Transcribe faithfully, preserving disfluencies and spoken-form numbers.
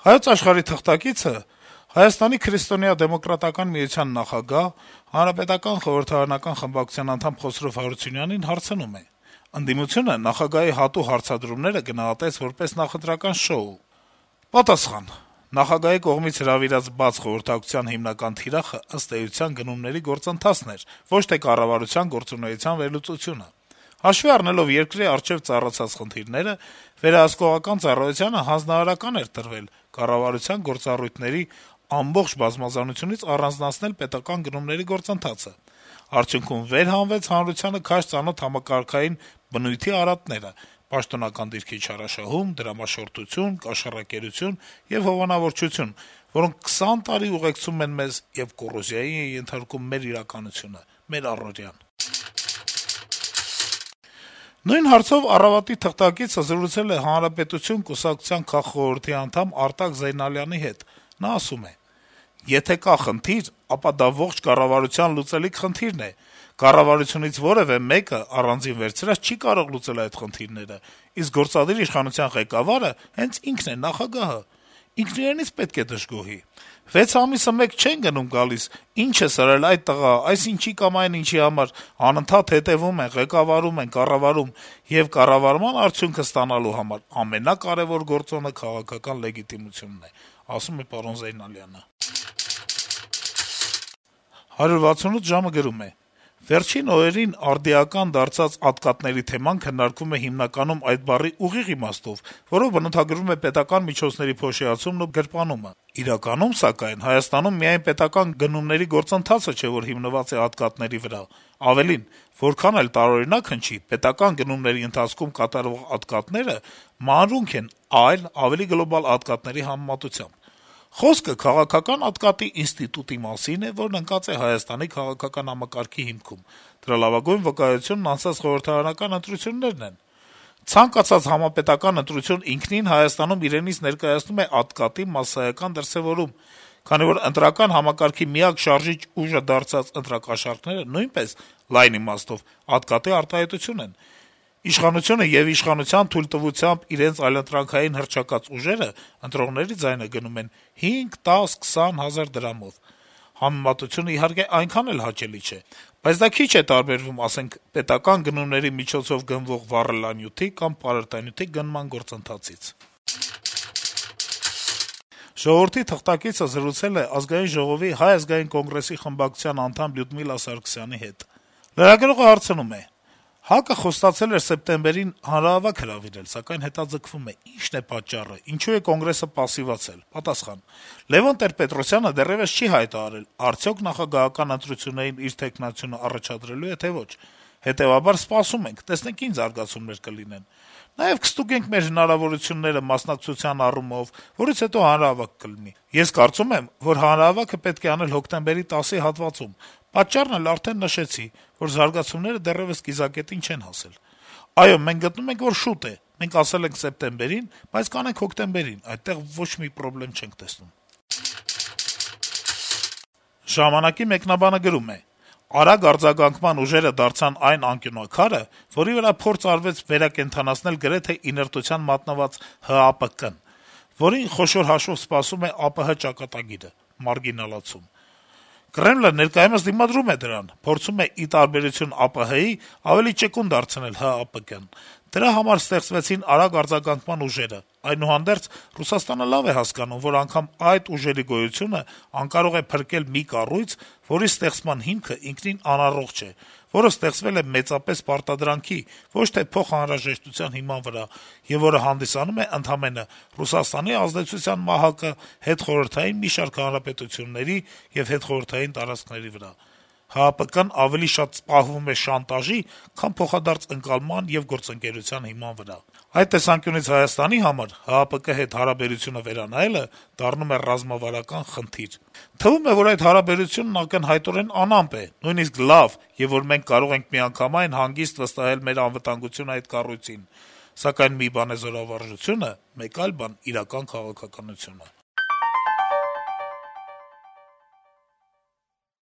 Հայոց Աշխարհի թղթակիցը Հայաստանի քրիստոնեա-դեմոկրատական միության նախագահ, Հանրապետական խորհրդարանական խմբակցության անդամ Խոսրով Հարությունյանին հարցնում է. - «Ընդդիմությունը նախագահի հատու հարցադրումները գնահատեց որպես նախընտրական շոու»։ Պատասխան. - «Նախագահի կողմից հրավիրած բաց խորհրդակցության հիմնական թիրախը, ըստ էության, գնումների գործընթացն էր, ոչ թե կառավարության գործունեության վերլուծությունը։ Հաշվի առնելով երկրի առջեւ ծառացած խնդիրները, վերահսկողական ծառայությանը հանձնարարական էր տրվել կառավարության գործառույթների ամբողջ բազմազանությունից առանձնացնել պետական գնումների գործընթացը։ Արդյունքում վեր հանվեց հանրությանը քաշ ծանոթ համակարգային բնույթի արատները՝ պաշտոնական դիրքի չարաշահում, դրամաշորթություն, կաշառակերություն եւ հովանավորչություն, որոնք քսան տարի ուղեկցում են մեզ եւ կոռոզիայի են ենթարկում մեր իրականությունը, մեր առօրյան»։ Նույն հարցով «Առավոտ»-ի թղթակիցը զրուցել է Հանրապետություն կուսակցության քաղխորհրդի անդամ Արտակ Զեյնալյանի հետ։ Նա ասում է. - «Եթե կա խնդիր, ապա դա ողջ կառավարության լուծելիք խնդիրն է: Կառավարությունից որեւէ մեկը առանձին վերցրած չի կարող լուծել այդ խնդիրները, իսկ գործադիր իշխանության ղեկավարը հենց ինքն է, նախագահը: Ինքն իրենից պետք է դժգոհի: Վեց ամիսը մեկ չեն գնում-գալիս, ինչ է սրել այդ տղա, այս ինչի կամ այն ինչի համար, անընդհատ հետեւում են, ղեկավարում են, կառավարում, եւ կառավարման արդյունքը ստանալու համար ամենակարեւոր գործոնը քաղաքական լեգիտիմությունն է», ասում է պարոն Զեյնալյանը: «հարյուր վաթսունութ ժամ»-ը գրում է. - «Վերջին օրերին արդիական դարձած ատկատների թեման քննարկվում է հիմնականում այդ բառի ուղիղ իմաստով, որով բնութագրվում է պետական միջոցների փոշիացումն ու գրպանումը: Իրականում, սակայն, Հայաստանում միայն պետական գնումների գործընթացը չէ, որ հիմնված է ատկատների վրա: Ավելին, որքան էլ տարօրինակ հնչի, պետական գնումների ընթացքում կատարվող ատկատները մանրունք են այլ, ավելի գլոբալ ատկատների համեմատությամբ: Խոսքը քաղաքական ատկատի ինստիտուտի մասին է, որն ընկած է Հայաստանի քաղաքական համակարգի հիմքում: Դրա լավագույն վկայությունն անցած խորհրդարանական ընտրություններն են: Ցանկացած համապետական ընտրություն ինքնին Հայաստանում իրենից ներկայացնում է ատկատի մասսայական դրսեւորում, քանի որ ընտրական համակարգի միակ շարժիչ ուժը դարձած ընտրակաշառքները նույնպես, լայն իմաստով, ատկատի արտահայտություն են: Իշխանությունը եւ իշխանության թույլտվությամբ իրենց այլընտրանքային հռչակած ուժերը ընտրողների ձայնը գնում են հինգ, տաս, քսան հազար դրամով: Համեմատությունը, իհարկե, այնքան էլ հաճելի չէ, բայց դա քիչ է տարբերվում, ասենք, պետական գնումների միջոցով գնվող վառելանյութի կամ պարարտանյութի գնման գործընթացից»: «Ժողովուրդ»-ի թղթակիցը զրուցել է Ազգային ժողովի Հայ ազգային կոնգրեսի խմբակցության անդամ Լյուդմիլա Սարգսյանի հետ: Լրագրողը հարցնում է. - «ՀԱԿ-ը խոստացել էր սեպտեմբերին հանրահավաք հրավիրել, սակայն հետաձգվում է: Ի՞նչն է պատճառը, ինչու է Կոնգրեսը պասիվացել»: Պատասխան. - «Լեւոն Տեր-Պետրոսյանը դեռեւս չի հայտարարել` արդյոք նախագահական ընտրություններին իր թեկնածությունը առաջադրելո՞ւ է, թե ոչ: Հետեւաբար սպասում ենք, տեսնենք ինչ զարգացումներ կլինեն: Նաեւ կստուգենք մեր հնարավորությունները մասնակցության առումով, որից հետո հանրահավաք կլինի: Ես կարծում եմ, որ հանրահավաքը պետք է անել հոկտեմբերի տասի հատվածում: Պատճառն էլ արդեն նշեցի, որ զարգացումները դեռեւս կիզակետին չեն հասել: Այո, մենք գտնում ենք, որ շուտ է: Մենք ասել ենք սեպտեմբերին, բայց կանենք հոկտեմբերին, այդտեղ ոչ մի պրոբլեմ չենք տեսնում»: «Ժամանակ»-ի մեկնաբանը գրում է. - «Արագ արձագանքման ուժերը դարձան այն անկյունաքարը, որի վրա փորձ արվեց վերակենդանացնել գրեթե իներտության մատնված ՀԱՊԿ-ն, որին խոշոր հաշվով սպասում է ԱՊՀ ճակատագիրը` մարգինալացում: Կրեմլը ներկայումս դիմադրում է դրան, փորձում է, ի տարբերություն ԱՊՀ-ի, ավելի ճկուն դարձնել ՀԱՊԿ-ն: Դրա համար ստեղծվեցին արագ արձագանքման ուժերը: Այդուհանդերձ, Ռուսաստանը լավ է հասկանում, որ անգամ այդ ուժերի գոյությունը անկարող է փրկել մի կառույց, որի ստեղծման հիմքը ինքնին անառողջ է, որը ստեղծվել է մեծապես պարտադրանքի, ոչ թե փոխանհրաժեշտության հիման վրա, եւ որը հանդիսանում է ընդամենը Ռուսաստանի ազդեցության մահակը հետխորհրդային մի շարք հանրապետությունների եւ հետխորհրդային տարածքների վրա: ՀԱՊԿ-ն ավելի շատ պահվում է շանտաժի, քան փոխադարձ ընկալման եւ գործընկերության հիման վրա: Այդ տեսանկյունից Հայաստանի համար ՀԱՊԿ հետ հարաբերությունը վերանայելը դառնում է ռազմավարական խնդիր: Թվում է, որ այդ հարաբերությունն ակնհայտորեն անամպ է, նույնիսկ լավ, եւ որ մենք կարող ենք միանգամայն հանգիստ վստահել մեր անվտանգությունը այդ կառույցին: Սակայն մի բան է զորավարժությունը, մեկ այլ բան` իրական քաղաքականությունը»: